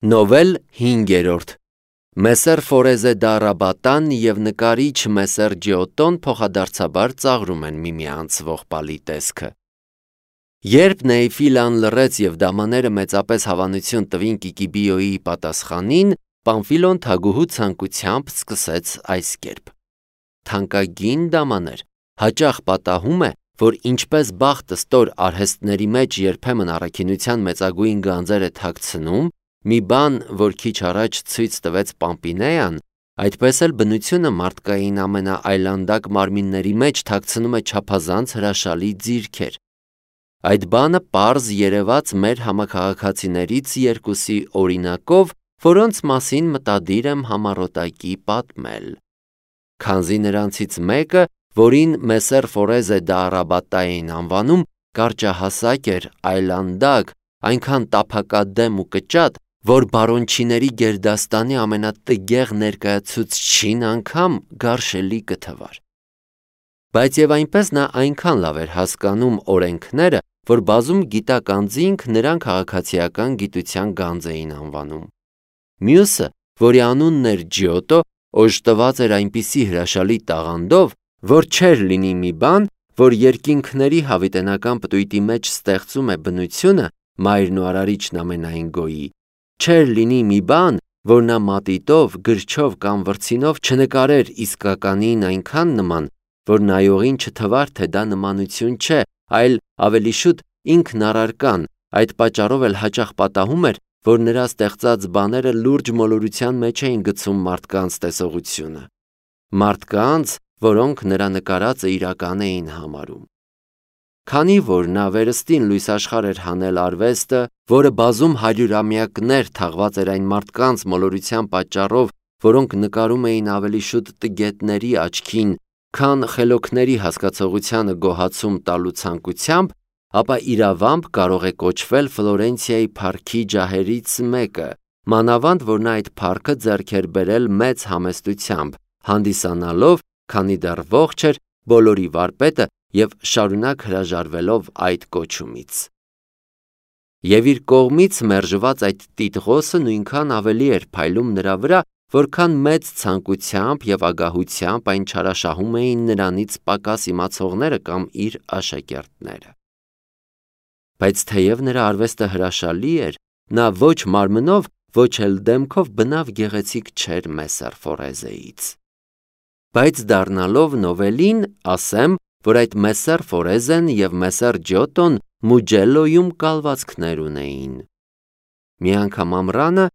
Նովել 5-րդ Մեսեր Ֆորեզե դա Ռաբատան և նկարիչ Մեսեր Ջիոտոն փոխադարձաբար ծաղրում են միմյանց ողբալի տեսքը։ Երբ Նեյֆիլան լռեց և դամաները մեծապես հավանություն տվին Կիկիբիոյի պատասխանին, Պամֆիլոն թագուհու ցանկությամբ սկսեց այս կերպ. Թանկագին դամաներ, հաճախ պատահում է, որ ինչպես բախտը ստոր արհեստների մեջ երբեմն առաքինության մեծագույն գանձեր է թաքցնում, մի բան, որ քիչ առաջ ցույց տվեց Պամպինեան, այդպես էլ բնությունը մարդկային ամենաայլանդակ մարմինների մեջ թաքցնում է չափազանց հրաշալի ձիրքեր։ Այդ բանը պարզ երևաց մեր համաքաղաքացիներից երկուսի օրինակով, որոնց մասին մտադիր եմ համառոտակի պատմել։ Քանզի նրանցից մեկը, որին Մեսեր Ֆորեզե դա Ռաբատա էին անվանում, կարճահասակ էր, այլանդակ, այնքան տափակադեմ ու կճատ, որ բարոնչիների գերդաստանի ամենատգեղ ներկայացուցչին անգամ գարշելի կթվար։ Բայց և այնպես նա այնքան լավ էր հասկանում օրենքները, որ բազում գիտակ անձինք նրան քաղաքացիական գիտության գանձ էին անվանում։ Մյուսը, որի անունն էր Ջիոտո, օժտված էր այնպիսի հրաշալի տաղանդով, որ չէր լինի մի բան, որ երկինքների հավիտենական պտույտի մեջ ստեղծում է բնությունը, մայրն ու արարիչն ամենայն գոյի, չէր լինի մի բան, որ նա մատիտով, գրչով կամ վրձինով չնկարեր իսկականին այնքան նման, որ նայողին չթվար, թե դա նմանություն չէ, այլ ավելի շուտ ինքն առարկան, այդ պատճառով էլ հաճախ պատահում էր, որ նրա ստեղծած բաները լուրջ մոլորության մեջ էին գցում մարդկանց տեսողությունը։ Մարդկանց, որոնք նրա նկարածը իրական էին համարում։ Քանի որ նա վերստին լույսաշխարհ էր հանել արվեստը, որը բազում հարյուրամյակներ թաղված էր այն մարդկանց մոլորության պատճառով, որոնք նկարում էին ավելի շուտ տգետների աչքին, քան խելոքների հասկացողությանը գոհացում տալու ցանկությամբ, ապա իրավամբ կարող է կոչվել Ֆլորենցիայի փառքի ջահերից մեկը, մանավանդ որ նա այդ փառքը ձեռք էր բերել մեծ համեստությամբ, հանդիսանալով, քանի դեռ ողջ էր, բոլորի վարպետը և շարունակ հրաժարվելով այդ կոչումից։ Եվ իր կողմից մերժված այդ տիտղոսը նույնքան ավելի էր փայլում նրա վրա, որքան մեծ ցանկությամբ և ագահությամբ այն չարաշահում էին նրանից պակաս իմացողները կամ իր աշակերտները։ Բայց թեև նրա արվեստը հրաշալի էր, նա ոչ մարմնով, ոչ էլ դեմքով բնավ գեղեցիկ չէր Մեսեր Ֆորեզեից։ Բայց դառնալով նովելին, ասեմ, որ այդ Մեսեր Ֆորեզեն և Մեսեր Ջիոտոն Մուջելլոյում կալվածքներ ունեին։ Մի անգամ ամռանը,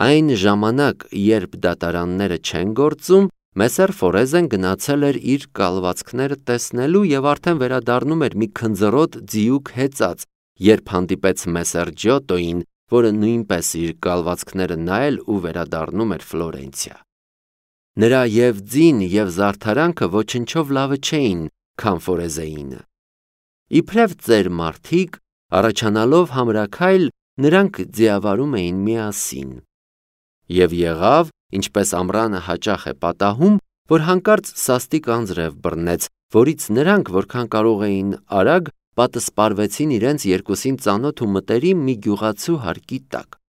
այն ժամանակ, երբ դատարանները չեն գործում, Մեսեր Ֆորեզեն գնացել էր իր կալվածքները տեսնելու և արդեն վերադառնում էր մի քնձռոտ ձիուկ հեծած, երբ հանդիպեց Մեսեր Ջիոտոյին, որը նույնպես իր կալվածքները նայել ու վերադառնում էր Ֆլորենցիա։ Նրա և ձին և զարդարանքը ոչնչով լավը չէին, քան Ֆորեզեինը։ Իբրև ծեր մարդիկ, առաջանալով համրաքայլ, նրանք ձիավարում էին միասին։ Եվ եղավ, ինչպես ամռանը հաճախ է պատահում, որ հանկարծ սաստիկ անձրև բռնեց, որից նրանք, որքան կարող էին արագ, պատսպարվեցին իրենց երկուսին ծանոթ ու մտերիմ մի գյուղացու հարկի տակ։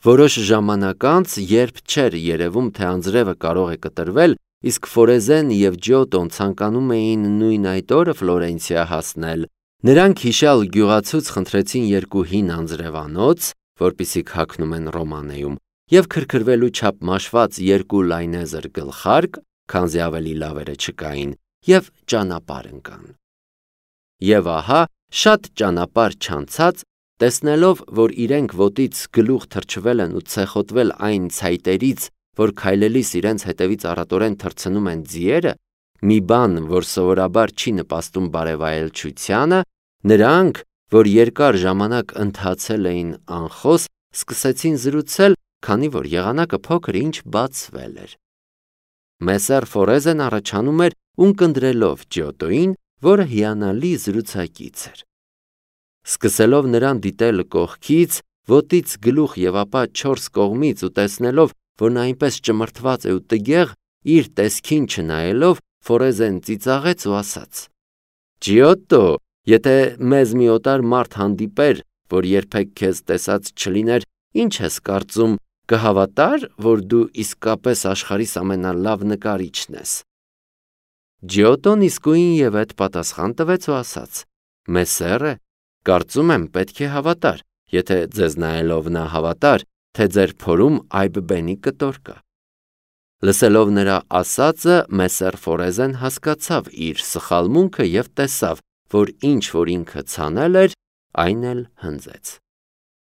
Որոշ ժամանակ անց, երբ չէր երևում, թե անձրևը կարող է կտրվել, իսկ Ֆորեզեն և Ջիոտոն ցանկանում էին նույն այդ օրը Ֆլորենցիա հասնել, նրանք հիշյալ գյուղացուց խնդրեցին երկու հին անձրևանոց, որպիսիք հագնում են Ռոմանեում, և քրքրվելու չափ մաշված երկու լայնեզր գլխարկ, քանզի ավելի լավերը չկային, և ճանապարհ ընկան։ Եվ ահա, շատ ճանապարհ չանցած, տեսնելով, որ իրենք ոտից գլուխ թրջվել են ու ցեխոտվել այն ցայտերից, որ քայլելիս իրենց հետևից առատորեն թռցնում են ձիերը, մի բան, որ սովորաբար չի նպաստում բարևայելչությանը, նրանք, որ երկար ժամանակ ընթացել էին անխոս, սկսեցին զրուցել, քանի որ եղանակը փոքր-ինչ բացվել էր։ Մեսեր Ֆորեզեն առաջանում էր ունկնդրելով Ջիոտոյին, որը հիանալի զրուցակից էր։ Սկսելով նրան դիտել կողքից, ոտից գլուխ և ապա չորս կողմից ու տեսնելով, որ նա այնպես ճմրթված է ու տգեղ, իր տեսքին չնայելով, Ֆորեզեն ծիծաղեց ու ասաց. Ջիոտո, եթե մեզ մի օտար մարդ հանդիպեր, որ երբեք քեզ տեսած չլիներ, Ինչ ես կարծում, կհավատար, որ դու իսկապես աշխարհիս ամենալավ նկարիչն ես։ Ջիոտոն իսկույն եւ այդ պատասխան տվեց ու ասաց. Մեսերը, կարծում եմ պետք է հավատար, եթե ձեզ նայելով նա հավատար, թե ձեր փորում այբ-բենի կտոր կա։ Լսելով նրա ասածը, Մեսեր Ֆորեզեն հասկացավ իր սխալմունքը եւ տեսավ, որ ինչ որ ինքը ցանել էր, այն էլ հնձեց։